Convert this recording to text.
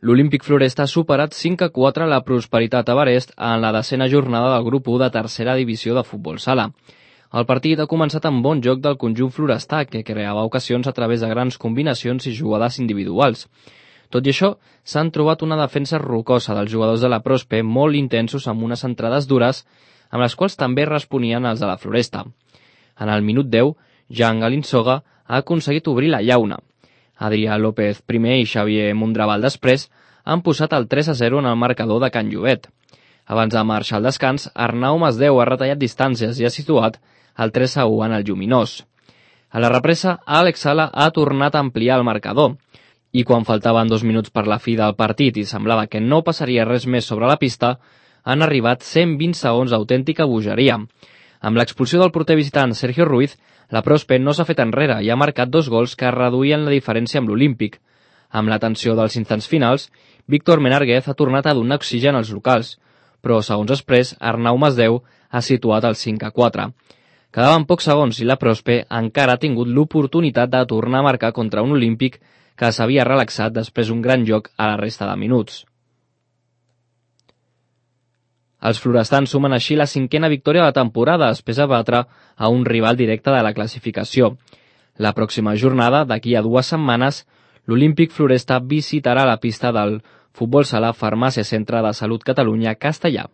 L'Olímpic Floresta ha superat 5-4 la Prosperitat Everest en la 10ª jornada del grup 1 de tercera divisió de futbol sala. El partit ha començat amb bon joc del conjunt florestà, que creava ocasions a través de grans combinacions i jugades individuals. Tot i això, s'han trobat una defensa rocosa dels jugadors de la Prospe molt intensos amb unes entrades dures, amb les quals també responien els de la Floresta. En el minut 10, Jan Galinsoga ha aconseguit obrir la llauna. Adrià López primer i Xavier Mondraval després han posat el 3-0 en el marcador de Can Llobet. Abans de marxar al descans, Arnau Masdeu ha retallat distàncies i ha situat el 3-1 en el Lluminós. A la represa, Àlex Sala ha tornat a ampliar el marcador, i quan faltaven 2 minuts per la fi del partit i semblava que no passaria res més sobre la pista, han arribat 120 segons d'autèntica bogeria. Amb l'expulsió del porter visitant Sergio Ruiz, la Prospe no s'ha fet enrere i ha marcat 2 gols que reduïen la diferència amb l'Olímpic. Amb la tensió dels instants finals, Víctor Menarguez ha tornat a donar oxigen als locals, però segons després, Arnau Masdeu ha situat el 5-4. Quedaven pocs segons i la Prospe encara ha tingut l'oportunitat de tornar a marcar contra un Olímpic que s'havia relaxat després d'un gran joc a la resta de minuts. Els florestans sumen així la 5a victòria de la temporada després de batre a un rival directe de la classificació. La pròxima jornada, d'aquí a 2 setmanes, l'Olímpic Floresta visitarà la pista del Futbol Sala Farmàcia Centre de Salut Catalunya Castellà.